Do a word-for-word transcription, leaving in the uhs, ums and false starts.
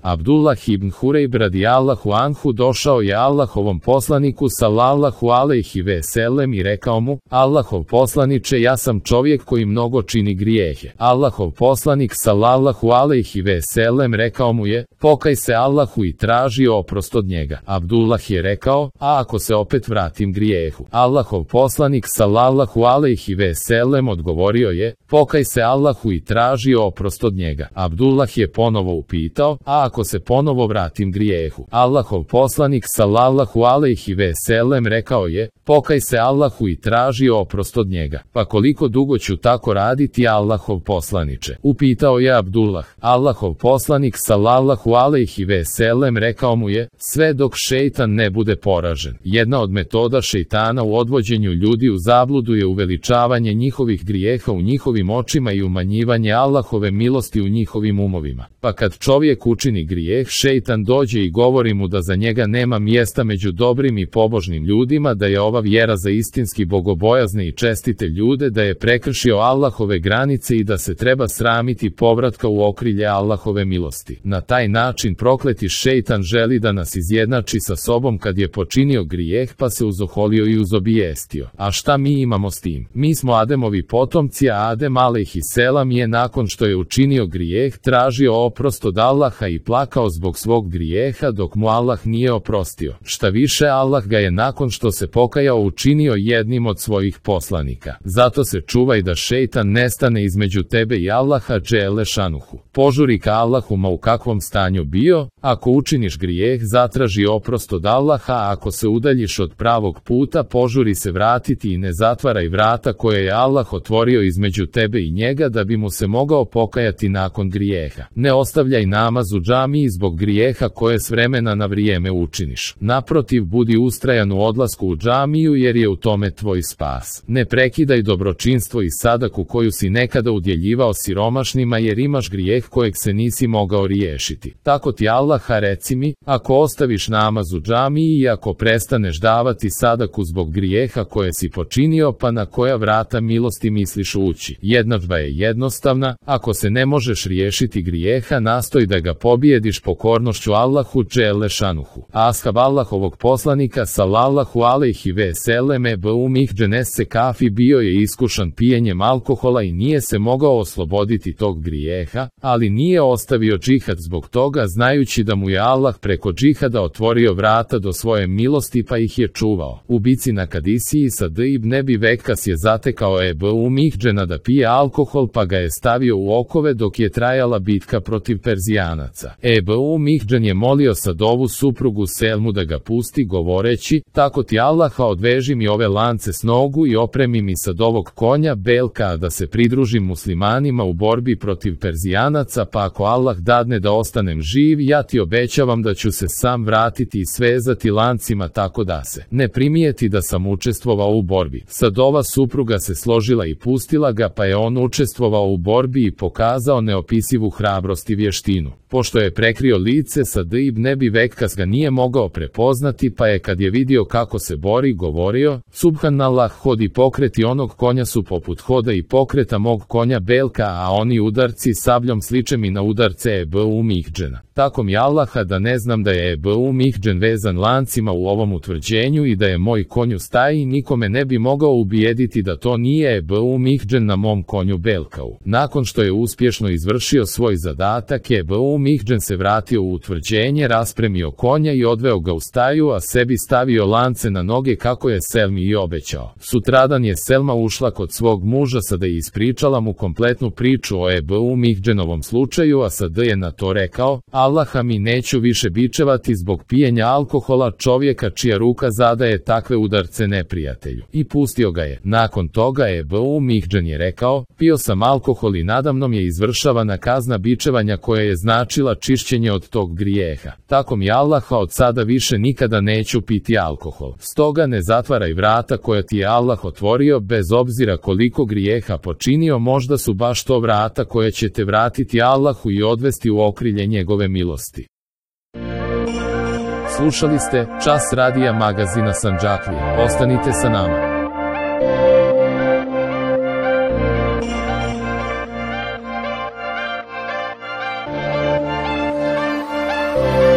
Abdullah ibn Hurejb radijallahu anhu došao je Allahovom poslaniku sallallahu alejhi ve sellem i rekao mu: Allahov poslaniče, ja sam čovjek koji mnogo čini grijehe. Allahov poslanik sallallahu alejhi ve sellem rekao mu je: pokaj se Allahu i traži oprost od njega. Abdullah je rekao: a ako se opet vratim grijehu? Allahov poslanik sallallahu alejhi ve sellem odgovorio je: pokaj se Allahu i traži oprost od njega. Abdullah je ponovo upitao: a ako se ponovo vratim grijehu? Allahov poslanik sallallahu alejhi ve sellem rekao je: pokaj se Allahu i traži oprost od njega. Pa koliko dugo ću tako raditi, Allahov poslaniče? Upitao je Abdullah. Allahov poslanik sallallahu alejhi ve sellem rekao mu je: sve dok šejtan ne bude poražen. Jedna od metoda šejtana u odvođenju ljudi u zabludu je uveličavanje njihovih grijeha u njihovim očima i umanjivanje Allahove milosti u njihovim umovima. Pa kad čovjek učini grijeh, šejtan dođe i govori mu da za njega nema mjesta među dobrim i pobožnim ljudima, da je ova vjera za istinski bogobojazne i čestite ljude, da je prekršio Allahove granice i da se treba sramiti povratka u okrilje Allahove milosti. Na taj način prokleti šejtan želi da nas izjednači sa sobom kad je počinio grijeh, pa se uzoholio i uzobijestio. A šta mi imamo s tim? Mi smo Ademovi potomci, a Adem alejhi selam je nakon što je učinio grijeh tražio oprost od Allaha i plakao zbog svog grijeha dok mu Allah nije oprostio. Šta više, Allah ga je nakon što se pokajao učinio jednim od svojih poslanika. Zato se čuvaj da šejtan nestane između tebe i Allaha dželle šanuhu. Požuri ka Allahu ma u kakvom stanju bio. Ako učiniš grijeh, zatraži oprost od Allaha, a ako se udaljiš od pravog puta, požuri se vratiti i ne zatvaraj vrata koje je Allah otvorio između tebe i njega da bi mu se mogao pokajati nakon grijeha. Ne ostavljaj namaz u džamiji zbog grijeha koje s vremena na vrijeme učiniš. Naprotiv, budi ustrajan u odlasku u džamiju jer je u tome tvoj spas. Ne prekidaj dobročinstvo i sadaku koju si nekada udjeljivao siromašnima jer imaš grijeh kojeg se nisi mogao riješiti. Tako ti Allaha reci mi, ako ostaviš namaz u džamiji i ako prestaneš davati sadaku zbog grijeha koje si počinio, pa na koja vrata milosti misliš ući? Jednadžba je jednostavna, ako se ne možeš riješiti grijeha, nastoj da ga pobijediš pokornošću Allahu dželle šanuhu. Ashab Allahovog poslanika sallallahu alejhi ve sellem Ebu Mihdžan es-Sekafi bio je iskušan pijenjem alkohola i nije se mogao osloboditi tog grijeha, ali nije ostavio džihad zbog toga, znajući da mu je Allah preko džihada otvorio vrata do svoje milosti pa ih je čuvao. U bici na Kadisiji Sad ibn Ebi Vekas je zatekao Ebu Mihdžana da pije alkohol pa ga je stavio u okove dok je trajala bitka protiv Perzijanaca. Ebu Mihdžan je molio Sadovu suprugu Selmu da ga pusti, govoreći: tako ti Allaha, odveži mi ove lance s nogu i opremi mi Sadovog konja Belka da se pridružim muslimanima u borbi protiv Perzijanaca, pa ako Allah dadne da ostanem živ, ja ti obećavam da ću se sam vratiti i svezati lancima tako da se ne primijeti da sam učestvovao u borbi. Sadova supruga se složila i pustila ga, pa je on učestvovao u borbi i pokazao neopisivu hrabrost i vještinu. Pošto je prekrio lice, Sad ibn Ebi Vekas ga nije mogao prepoznati, pa je kad je vidio kako se bori, govorio: subhanallah, hod i pokreti onog konja su poput hoda i pokreta mog konja Belka, a oni udarci sabljom sliče mi na udarce Ebu Mihdžana. Tako mi Allaha da ne znam da je Ebu Mihdžan vezan lancima u ovom utvrđenju i da je moj konj u staji, nikome ne bi mogao ubijediti da to nije Ebu Mihdžan na mom konju Belkau. Nakon što je uspješno izvršio svoj zadatak, Ebu Mihdžan se vratio u utvrđenje, raspremio konja i odveo ga u staju, a sebi stavio lance na noge kako je Selmi i obećao. Sutradan je Selma ušla kod svog muža Sada i ispričala mu kompletnu priču o Ebu Mihdžanovom slučaju, a Sad je na to rekao: Allaha mi, neću više bičevati zbog pijenja alkohola čovjeka čija ruka zadaje takve udarce neprijatelju. I pustio ga je. Nakon toga Ebu Mihdžan je rekao: pio sam alkohol i nadamnom je izvršavana kazna bičevanja koja je značila čišćenje od tog grijeha. Tako mi Allaha, od sada više nikada neću piti alkohol. Stoga ne zatvaraj vrata koja ti je Allah otvorio, bez obzira koliko grijeha počinio, možda su baš to vrata koja će te vratiti Allahu i odvesti u okrilje njegove milosti. Slušali ste Čas radija magazina Sandžaklije. Ostanite sa nama. Allahu.